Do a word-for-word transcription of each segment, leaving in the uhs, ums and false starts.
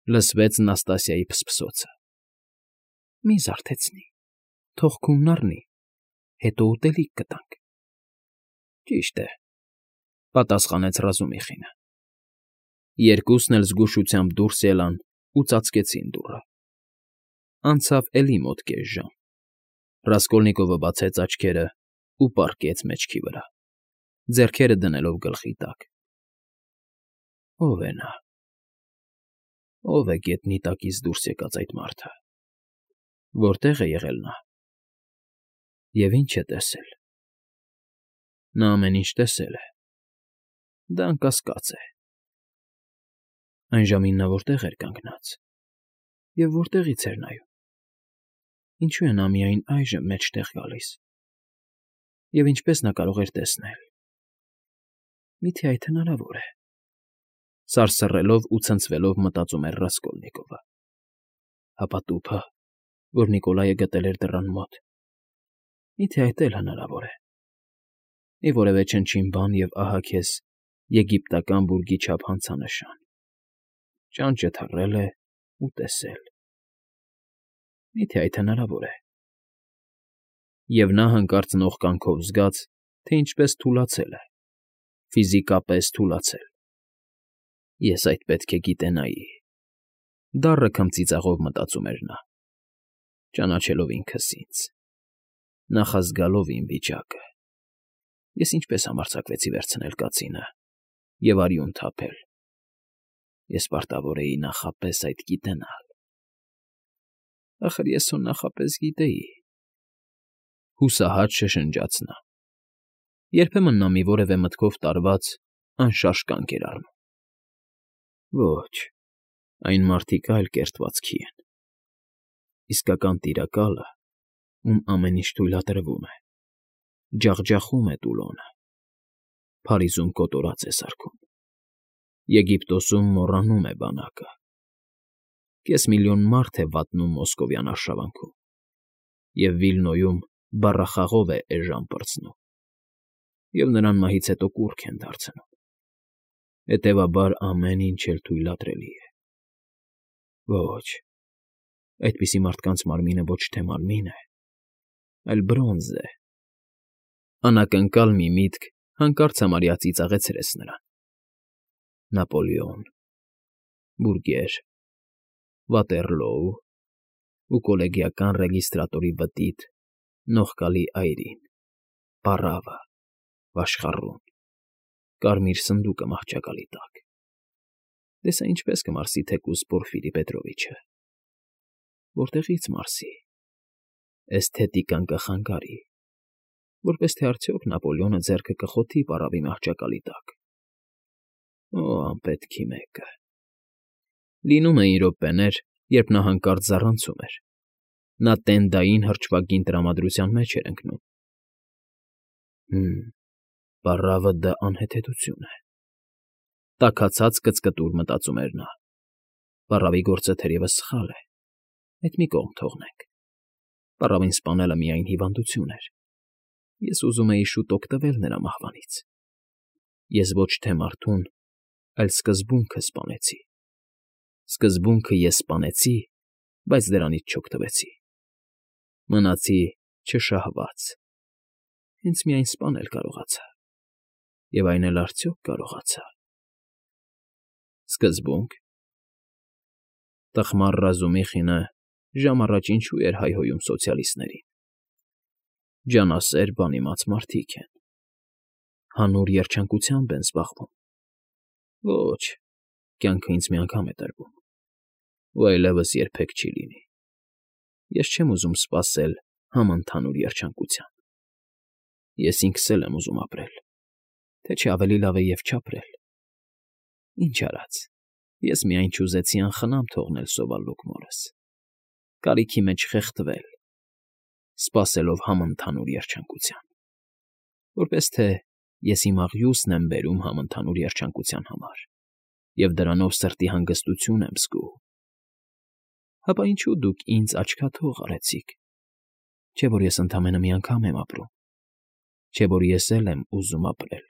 Լսվեց Նաստասիայի փսփսոցը։ ֊ Մի զարթեցնի, թող քունն առնի, հետո ուտելիք կտանք։ ֊ Ճիշտ է,֊ պատասխանեց Ռազումիխինը։ Երկուսն էլ զգուշությամբ դուրս ելան ու ծածկեցին դուռը։ Անցավ էլի մոտ կես ժամ, Ռասկոլնիկովը բացեց աչքերն ու պառկեց մեջքի վրա, ձեռքերը դնելով գլխի տակ։ Ո՞վ է նա, ո՞վ է գետնի տակից դուրս եկած այդ մարդը, որտե՞ղ է եղել նա, և ի՞նչ է տեսել։ Նա ամեն ինչ տեսել է, դա անկասկած է։ Այն ժամին նա որտե՞ղ էր կանգնած և որտեղի՞ց էր նայում։ Ինչո՞ւ է նա միայն այժմ մեջտեղ գալիս, և ինչպե՞ս նա կարող էր տեսնել։ Մի՞թե այդ հնարավոր է, սարսռելով ու ցնցվելով մտածում էր Ռասկոլնիկովը։ Հապա տուփը, որ Նիկոլայը գտել էր դռան մոտ, մի՞թե այդ էլ հնարավոր է։ Մի որևէ չնչին բան, և ահա քեզ եգիպտական բուրգի չափ հանցանշան, ճանճը թռել է ու տեսել։ Մի՞թե այդ հնարավոր է։ Եվ նա հանկարծ նողկանքով զգաց, թե ինչպես թուլացել է, ֆիզիկապես թուլացել։ Ես այդ պետք է գիտենայի,֊ դառը քմծիծաղով մտածում էր նա, ճանաչելով ինքս ինձ, նախազգալով իմ վիճակը։ Ես ինչպես համարձակվեցի վերցնել կացինը և արյուն թափել։ Ես պարտավոր էի նախապես այդ գիտենալ։ Ախր ես հո նախապես գիտեի,֊ հուսահատ շշնջաց նա։ Երբեմն նա մի որևէ մտքով տարված, անշարժ կանգ էր առնում։ Ոչ, այն մարդիկ այլ կերտվածքի են, իսկական տիրակալը, ում ամեն ինչ թույլատրվում է, ջախջախում է տուլոնը, Փարիզում կոտորած է սարքում, Եգիպտոսում մոռանում է բանակը, կես միլիոն մարդ է վատնում մոսկովյան արշավանքում և Վիլնոյում բառախաղով է էժան պրծնում, և նրան մահից հետո կուռք են դարձնում, հետևաբար ամեն ինչ էլ թույլատրելի է։ Ոչ, այդպիսի մարդկանց մարմինը ոչ թե մարմին է, այլ բրոնզ է։ Անակնկալ մի միտք հանկարծ համարյա ծիծաղեցրեց նրան։ Նապոլեոն, բուրգեր, Վատերլոու ու կոլեգիական ռեգիստրատորի բտիտ, նողկալի այրին, պառավը, վաշխառուն, կարմիր սնդուկը մահճակալի տակ։ Դե սա ինչպես կմարսի թեկուզ Պորֆիրի Պետրովիչը։ Որտեղի՞ց մարսի։ Էսթետիկան կխանգարի, որպես թե արդյոք Նապոլեոնը ձեռքը կխոթի պառավի մահճակալի տակ։ Օ, անպետքի մեկը… Լինում էին րոպեներ, երբ նա հանկարծ զառանցում էր, նա տենդային հրճվագին տրամադրության մեջ էր ընկնում։ Հը՜մ, պառավը դա անհեթեթություն է… Տաքացած կծկտուր մտածում էր նա։ Պառավի գործը թերևս սխալ է, այդ մի կողմ թողնենք, պառավին սպանելը միայն հիվանդություն էր, ես ուզում էի շուտ օգտվել նրա մահվանից։ Ես ոչ թե մարդուն, այլ սկզբունքը սպանեցի։ Սկզբունքը ես սպանեցի, բայց դրանից չօգտվեցի։ Մնացի չշահված, հենց միայն սպանել կարողացա, և այն էլ արդյոք կարողացա։ Սկզբո՞ւնք… Տխմար Ռազումիխինը ժամ առաջ ինչու էր հայհոյում սոցիալիստներին։ Ջանասեր, բանիմաց մարդիկ են, հանուր երջանկությամբ են զբաղվում։ Ոչ, կյանքը ինձ մի անգամ է տրվում, ու այլևս երբեք չի լինի։ Ես չեմ ուզում սպասել համընդհանուր երջանկության։ Ես ինքս էլ եմ ուզում ապրել, թե չէ ավելի լավ է և չապրել։ Ինչ արած, ես միայն չուզեցի անխնամ թողնել սովալուկ մորս, կարիքի մեջ խեղդվել, սպասելով համընդհանուր երջանկության, որպես թե ես իմ աղյուսն եմ բերում համընդհանուր երջանկության համար և դրանով սրտի հանգստություն եմ զգում։ Հապա ինչու դուք ինձ աչքաթող արեցիք, չէ՞ որ ես ընդամենը մի անգամ եմ ապրում, չէ՞ որ ես էլ եմ ուզում ապրել։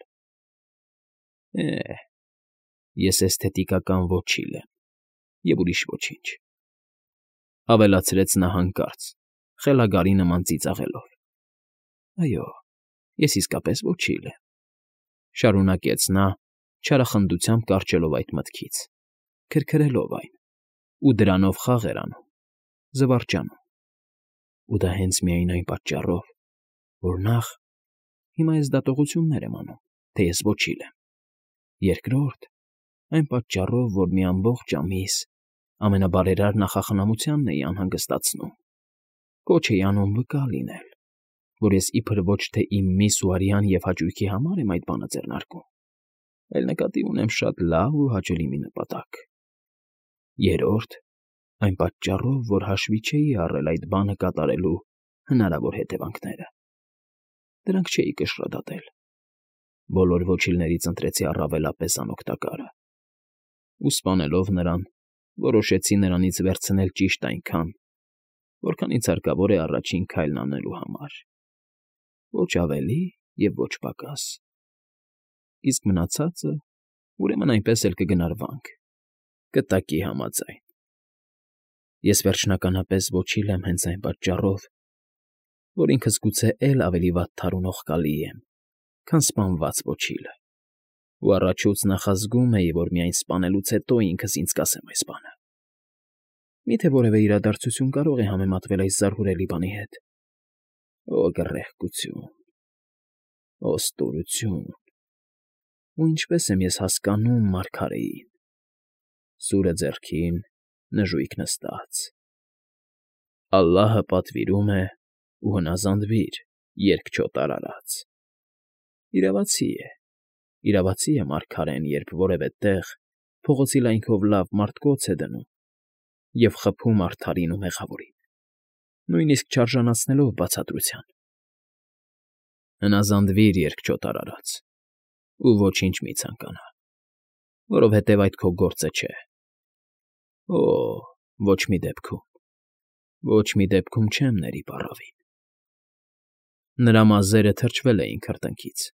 Է՜, ես էսթետիկական ոչիլ եմ, և ուրիշ ոչինչ,֊ ավելացրեց նա հանկարծ, խելագարի նման ծիծաղելով։ «Այո, ես իսկապես ոչիլ եմ,֊ շարունակեց նա, չարախնդությամբ կառչելով այդ մտքից, քրքրելով այն, ու դրանով խաղեր անում, զվարճանում։ Ու դա հենց միայն այն պատճառով, որ նախ, հիմա ես դատողություններ եմ անում, թե ես ոչիլ եմ, երկրորդ, այն պատճառով, որ մի ամբողջ ամիս ամենաբարերար նախախնամությանն էի անհանգստացնում, կոչ էի անում վկա լինել, որ ես իբր ոչ թե իմ միս ու արյան և հաճույքի համար եմ այդ բանը ձեռնարկում, այլ նկատի ունեմ շատ լավ ու հաճելի մի նպատակ, երրորդ, այն պատճառով, որ հաշվի չէի առել այդ բանը կատարելու հնարավոր հետևանքները. դրանք չէի կշռադատել, բոլոր ոչիլներից ընտրեցի առավելապես անօգտակարը, ու սպանելով նրան, որոշեցի նրանից վերցնել ճիշտ այնքան, որքան ինձ հարկավոր է առաջին քայլն անելու համար, ոչ ավելի և ոչ պակաս, իսկ մնացածը, ուրեմն այնպես էլ կգնարվանք, կտակի համաձայն։ Ես վերջնականապես ոչիլ եմ հենց այն պատճառով, որ ինքս գուցե էլ ավելի վատթար ու նողկալի եմ, քան սպանված ոչիլը, ու առաջուց նախազգում էի, որ միայն սպանելուց հետո ինքս ինձ կասեմ այս բանը։ Մի՞թե որևէ իրադարձություն կարող է համեմատվել այս զարհուրելի բանի հետ… Օ գռեհկություն… Օ ստորություն… Ու ինչպե՜ս եմ ես հասկանում մարգարեին… Սուրը ձեռքին, նժույգ նստած… Ալլահը պատվիրում է, ու հնազանդվիր, երկչոտ արարած… Իրավացի է, իրավացի է մարգարեն, երբ որևէ տեղ փողոցի լայնքով լավ մարդ կոց է դնում և խփում արդարին ու մեղավորին, նույնիսկ չարժանացնելով բացատրության… Հնազանդվիր, երկչոտ արարած, ու ոչինչ մի ցանկանա, որովհետև այդ քո գործը չէ… Օ՜, ոչ մի դեպքում, ոչ մի դեպքում չեմ ների պառավին… Նրա մազերը թրջվել էին քրտինքից,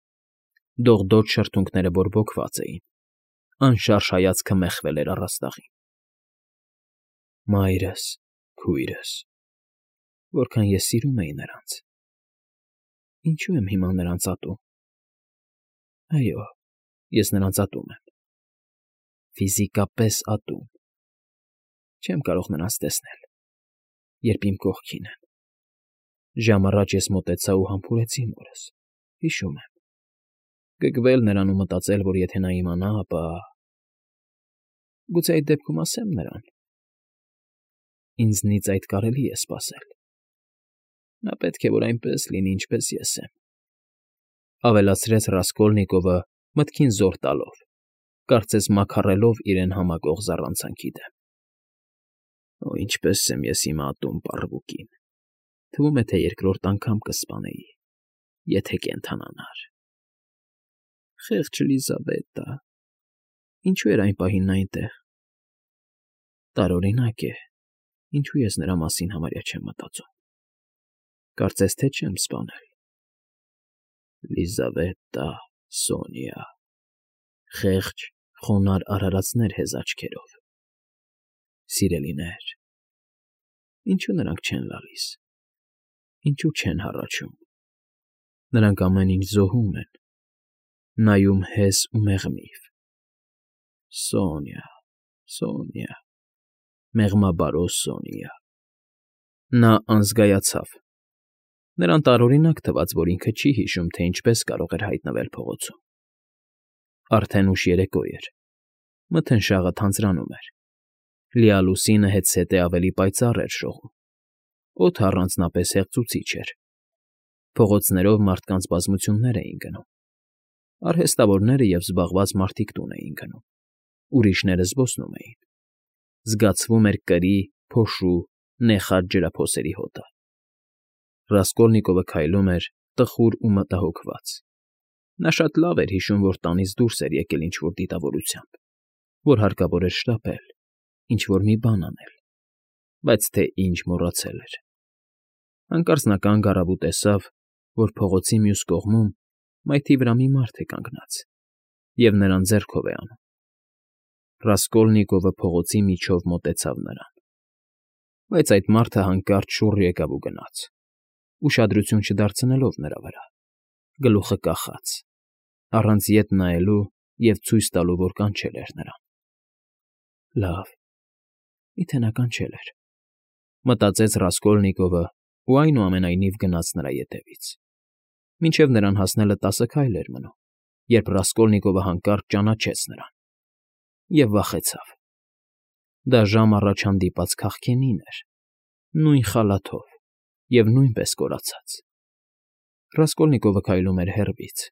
դողդոջ շրթունքները բորբոքված էին, անշարժ հայացքը մեխվել էր առաստաղին… Մայրս, քույրս… Որքան ես սիրում էի նրանց… Ինչո՞ւ եմ հիմա նրանց ատում… Այո, ես նրանց ատում եմ… Ֆիզիկապես ատում… Չեմ կարող նրանց տեսնել, երբ իմ կողքին են… Ժամ առաջ ես մոտեցա ու համբուրեցի մորս, հիշում եմ… Գգվել նրան ու մտածել, որ եթե նա իմանա, ապա… Գուցե այդ դեպքում ասեմ նրան… Ինձնից այդ կարելի է սպասել… Նա պետք է որ այնպես լինի, ինչպես ես եմ…֊ ավելացրեց Ռասկոլնիկովը մտքին զոր տալով, կարծես մաքառելով իրեն համակող զառանցանքի դեմ։ Օ՜, ինչպես եմ ես հիմա ատում պառվուկին… Թվում է, թե երկրորդ անգամ կսպանեի, եթե կենդանանար… Խեղճ Լիզաբետը… Ինչո՞ւ էր այն պահին նա այնտեղ… Տարօրինակ է, ինչու ես նրա մասին համարյա չեմ մտածում… Կարծես թե չեմ սպանել… Լիզավետտա… Սոնյա… Խեղճ, խոնարհ արարածներ հեզ աչքերով… Սիրելիներ… Ինչո՞ւ նրանք չեն լալիս… Ինչո՞ւ չեն հառաչում… Նրանք ամեն ինչ զոհում են… Նայում հես ու մեղմիվ… Սոնյա… Սոնյա… Մեղմաբարո Սոնյա… Նա անզգայացավ… Նրան տարօրինակ թվաց, որ ինքը չի հիշում, թե ինչպես կարող էր հայտնվել փողոցում… Արդեն ուշ երեկո էր, մթնշաղը թանձրանում էր, լիալուսինը հետզհետե ավելի պայծառ էր շողում, օդը առանձնապես հեղձուցիչ էր, փողոցներով մարդկանց բազմություններ էին գնում, արհեստավորները և զբաղված մարդիկ տուն էին գնում, ուրիշները զբոսնում էին, զգացվում էր կրի, փոշու, նեխած ջրափոսերի հոտը… Ռասկոլնիկովը քայլում էր տխուր ու մտահոգված… Նա շատ լավ էր հիշում, որ տանից դուրս էր եկել ինչ֊որ դիտավորությամբ, որ հարկավոր էր շտապել, ինչ֊որ մի բան անել, բայց թե ինչ մոռացել էր… Հանկարծ նա կանգ առավ ու տեսավ, որ փողոցի մյուս կողմում մայթի վրա մի մարդ է կանգնած և նրան ձեռքով է անում… Ռասկոլնիկովը փողոցի միջով մոտեցավ նրան, բայց այդ մարդը հանկարծ շուռ եկավ ու գնաց, ուշադրություն չդարձնելով նրա վրա, գլուխը կախած, առանց ետ նայելու և ցույց տալու, որ կանչել էր նրան։ «Լավ, միթե նա կանչել էր,֊ մտածեց Ռասկոլնիկովը ու այնուամենայնիվ գնաց նրա ետևից։ Մինչև նրան հասնելը տասը քայլ էր մնում, երբ Ռասկոլնիկովը հանկարծ ճանաչեց նրան և վախեցավ։ Դա ժամ առաջ հանդիպած քաղքենին էր, նույն խալաթով և նույնպես կորացած։ Ռասկոլնիկովը քայլում էր հեռվից,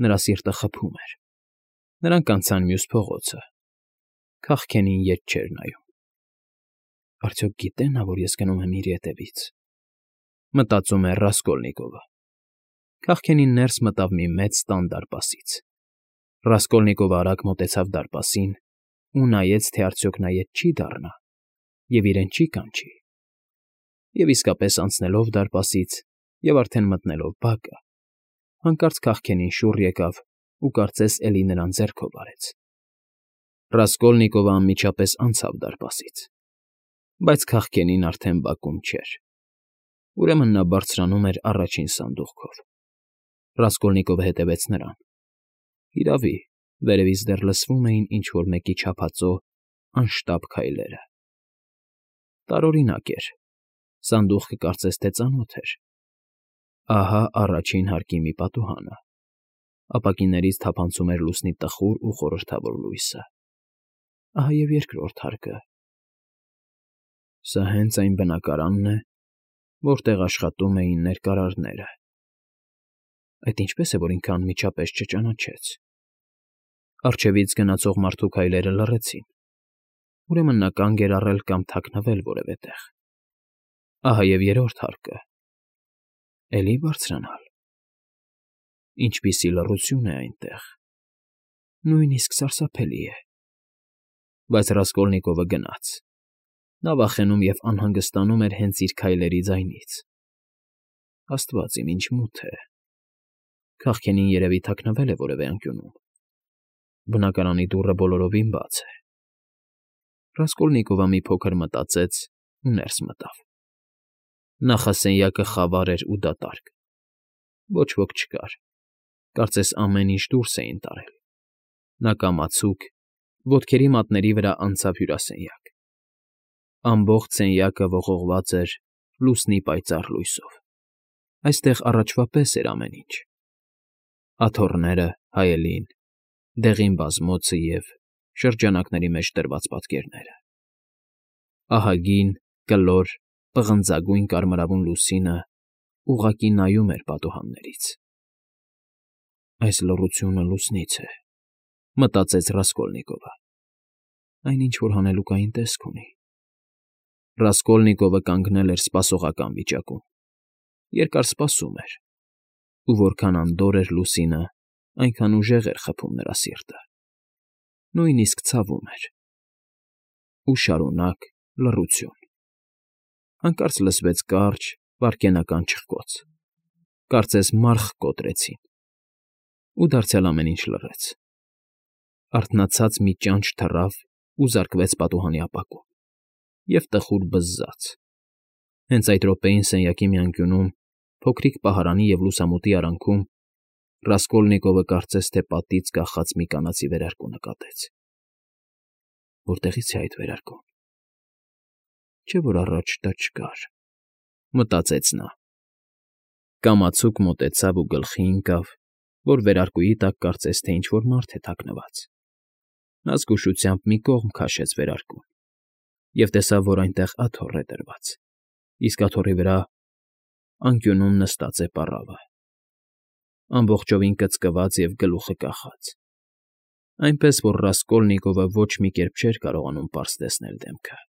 նրա սիրտը խփում էր։ Նրանք անցան մյուս փողոցը։ Քաղքենին ետ չէր նայում։ «Արդյոք գիտե՞ նա, որ ես գնում եմ իր ետևից,֊ մտածում էր Ռասկոլնիկովը։ Քաղքենին ներս մտավ մի մեծ տան դարպասից։ Ռասկոլնիկովը արագ մոտեցավ դարպասին ու նայեց, թե արդյոք նա ետ չի դառնա և իրեն չի կանչի։ Եվ իսկապես, անցնելով դարպասից և արդեն մտնելով բակը, հանկարծ քաղքենին շուռ եկավ ու կարծես էլի նրան ձեռքով արեց։ Ռասկոլնիկովը անմիջապես անցավ դարպասից, բայց քաղքենին արդեն բակում չէր։ Ուրեմն նա բարձրանում էր առաջին սանդուղքով։ Ռասկոլնիկովը հետևեց նրան։ Իրավի, վերևից դեռ լսվում էին ինչ֊որ մեկի չափածո, անշտապ քայլերը։ Տարօրինակ էր, սանդուղքը կարծես թե ծանոթ էր։ Ահա առաջին հարկի մի պատուհանը։ Ապակիներից թափանցում էր լուսնի տխուր ու խորհրդավոր լույսը։ Ահա և երկրորդ հարկը։ Սա հենց այն բնակարանն է, որտեղ աշխատում էին ներկարարները։ Այդ ինչպե՞ս է, որ ինքը անմիջապես չճանաչեց։ Առջևից գնացող մարդու քայլերը լռեցին։ Ուրեմն նա կանգ էր առել կամ թաքնվել որևէ տեղ։ Ահա և երրորդ հարկը։ Էլի բարձրանալ։ Ինչպիսի լռություն է այնտեղ… նույնիսկ սարսափելի է։ Բայց Ռասկոլնիկովը գնաց։ Նա վախենում և անհանգստանում էր հենց իր քայլերի ձայնից։ Աստված իմ, ինչ մութ է… Քաղքենին երևի թաքնվել է որևէ անկյունում։ Բնակարանի դուռը բոլորովին բաց է։ Ռասկոլնիկովը մի փոքր մտածեց ու ներս մտավ։ Նախասենյակը խավար էր ու դատարկ։ Ոչ ոք չկար, կարծես ամեն ինչ դուրս էին տարել։ Նա կամացուկ, ոտքերի մատների վրա անցավ հյուրասենյակ։ Ամբողջ սենյակը ողողված էր լուսնի պայծառ լույսով։ Այստեղ առաջվա պես էր ամեն ինչ. աթոռները, հայելին, դեղին բազմոցը և շրջանակների մեջ դրված պատկերները։ Ահագին, կլոր, պղնձագույն կարմրավուն լուսինը ուղղակի նայում էր պատուհաններից։ «Այս լռությունը լուսնից է,֊ մտածեց Ռասկոլնիկովը։ Այն ինչ֊որ հանելուկային տեսք ունի»։ Ռասկոլնիկովը կանգնել էր սպասողական վիճակում։ Երկար սպասում էր, ու որքան անդորր էր լուսինը, այնքան ուժեղ էր խփում նրա սիրտը։ Նույնիսկ ցավում էր։ Ու շարունակ լռություն։ Հանկարծ լսվեց կարճ, վայրկենական չխկոց, կարծես մարխ կոտրեցին, ու դարձյալ ամեն ինչ լռեց։ Արթնացած մի ճանճ թռավ ու զարկվեց պատուհանի ապակուն և տխուր բզզաց։ Հենց այդ րոպեին սենյակի մի անկյունում, փոքրիկ պահարանի և լուսամուտի արանքում, Ռասկոլնիկովը կարծես թե պատից կախած մի կանացի վերարկու նկատեց։ Որտեղի՞ց է այդ վերարկուն։ Չէ՞ որ առաջ դա չկար, մտածեց նա։ Կամացուկ մոտեցավ ու գլխի ընկավ, որ վերարկուի տակ կարծես թե ինչ֊որ մարդ է թաքնված։ Նա զգուշությամբ մի կողմ քաշեց վերարկուն և տեսավ, որ այնտեղ աթոռ է դրված, իսկ աթոռի վրա անկյունում նստած է պառավը, ամբողջովին կծկված և գլուխը կախած, այնպես որ Ռասկոլնիկովը ոչ մի կերպ չէր կարողանում պարզ տեսնել դեմքը։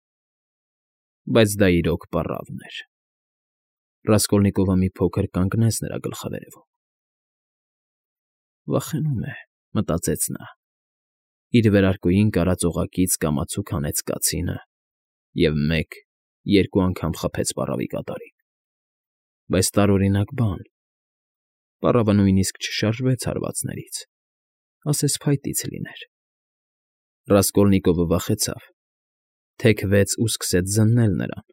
Բայց դա իրոք պառավն էր։ Ռասկոլնիկովը մի փոքր կանգնեց նրա գլխավերևում։ Վախենում է, մտածեց նա։ Իր վերարկուին կարած օղակից կամացուկ հանեց կացինը և մեկ, երկու անգամ խփեց պառավի կատարին։ Բայց տարօրինակ բան… Պառավը նույնիսկ չշարժվեց հարվածներից, ասես փայտից լիներ։ Ռասկոլնիկովը վախեցավ, թեքվեց ու սկսեց զննել նրան,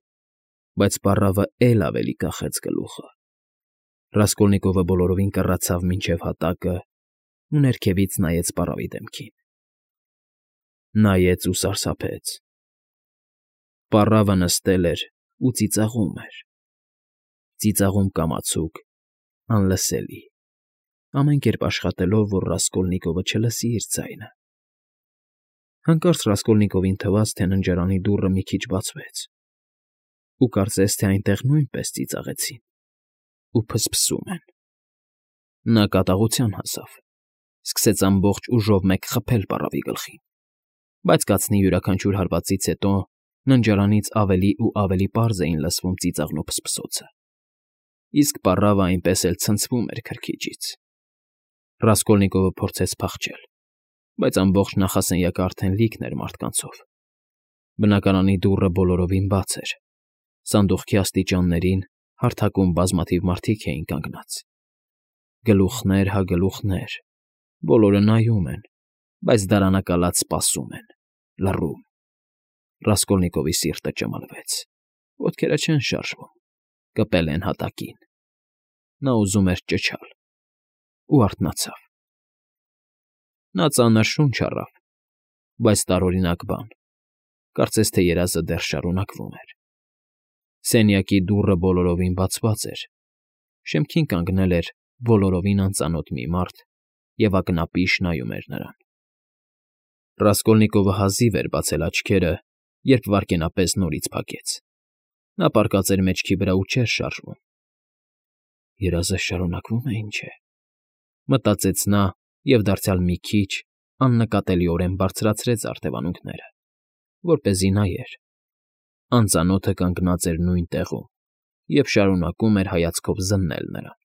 բայց պառավը էլ ավելի կախեց գլուխը։ Ռասկոլնիկովը բոլորովին կռացավ մինչև հատակն ու ներքևից նայեց պառավի դեմքին։ Նայեց ու սարսափեց. պառավը նստել էր ու ծիծաղում էր, ծիծաղում կամացուկ, անլսելի, ամեն կերպ աշխատելով, որ Ռասկոլնիկովը չլսի իր ձայնը։ Հանկարծ Ռասկոլնիկովին թվաց, թե ննջարանի դուռը մի քիչ բացվեց, ու կարծես թե այնտեղ նույնպես ծիծաղեցին ու փսփսում են։ Նա կատաղության հասավ, սկսեց ամբողջ ուժով մեկ խփել պառավի գլխին, բայց կացնի յուրաքանչյուր հարվածից հետո ննջարանից ավելի ու ավելի պարզ էին լսվում ծիծաղն ու փսփսոցը, իսկ պառավը այնպես էլ ցնցվում էր քրքիջից։ Ռասկոլնիկովը փորձեց փախչել, բայց ամբողջ նախասենյակը արդեն լիքն էր մարդկանցով։ Բնակարանի դուռը բոլորովին բաց էր, սանդուղքի աստիճաններին հարթակում բազմաթիվ մարդիկ էին կանգնած։ Գլուխներ հա գլուխներ, բոլորը նայում են, բայց դարանակալած սպասում են, լռում։ Ռասկոլնիկովի սիրտը ճմլվեց, ոտքերը չեն շարժվում, կպել են հատակին։ Նա ուզում էր ճչալ ու արթնացավ։ Նա ծանր շունչ առավ, բայց տարօրինակ բան, կարծես թե երազը դեռ շարունակվում էր։ Սենյակի դուռը բոլորովին բացված էր, շեմքին կանգնել էր բոլորովին անծանոթ մի մարդ և ակնապիշ նայում էր նրան։ Ռասկոլնիկովը հազիվ էր բացել աչքերը, երբ վայրկենապես նորից փակեց։ Նա պառկած էր մեջքի վրա ու չէր շարժվում։ Երազը շարունակվո՞ւմ է, ինչ է, մտածեց նա և դարձյալ մի քիչ աննկատելիորեն բարձրացրեց արդևանունքները, որպեսզի նայեր։ Անծանոթը կանգնած էր նույն տեղում և շարունակում էր հայացքով զննել նրան։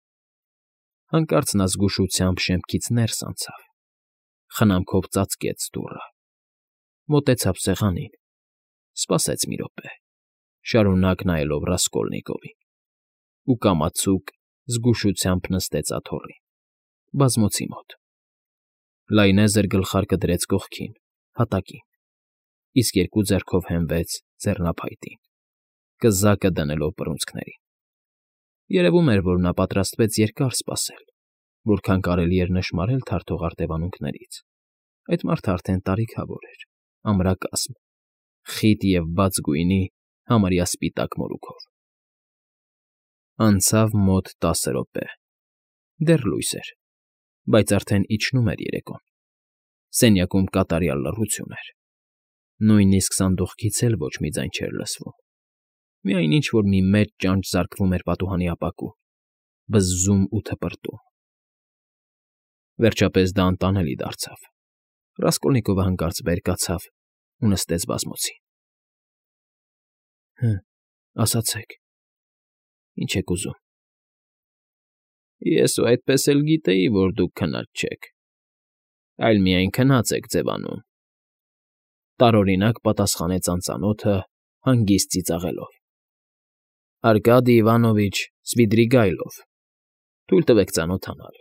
Հանկարծ նա զգուշությամբ շեմքից ներս անցավ, խնամքով ծածկեց դուռը, մոտեցավ սեղանին, սպասեց մի րոպե, շարունակ նայելով Ռասկոլնիկովին, ու կամացուկ զգուշությամբ նստեց աթոռին, բազմոցի մոտ։ Լայնեզր գլխարկը դրեց կողքին, հատակին, իսկ երկու ձեռքով հենվեց ձեռնափայտին, կզակը դնելով բռունցքներին։ Երևում էր, որ նա պատրաստվեց երկար սպասել, որքան կարելի էր նշմարել թարթող արդևանունքներից։ Այդ մարդը արդեն տարիքավոր էր, ամրակազմ, խիտ և բաց գույնի, համարյա սպիտակ մորուքով։ Անցավ մոտ տասը րոպե, դեռ լույս էր, բայց արդեն իջնում էր երեկոն։ Սենյակում կատարյալ լռություն էր, նույնիսկ սանդուղքից էլ ոչ մի ձայն չէր լսվում, միայն ինչ֊որ մի մեծ ճանճ զարկվում էր պատուհանի ապակուն, բզզում ու թպրտում։ Վերջապես դա անտանելի դարձավ։ Ռասկոլնիկովը հանկարծ վեր կացավ ու նստեց բազմոցին։ Հը, ասացեք, ի՞նչ եք ուզում։ Ես ու այդպես էլ գիտեի, որ դուք քնած չեք, այլ միայն քնած եք ձևանում,֊ տարօրինակ պատասխանեց անծանոթը հանգիստ ծիծաղելով։ Արկադիյ Իվանովիչ Սվիդրիգայլով, թույլ տվեք ծանոթանալ։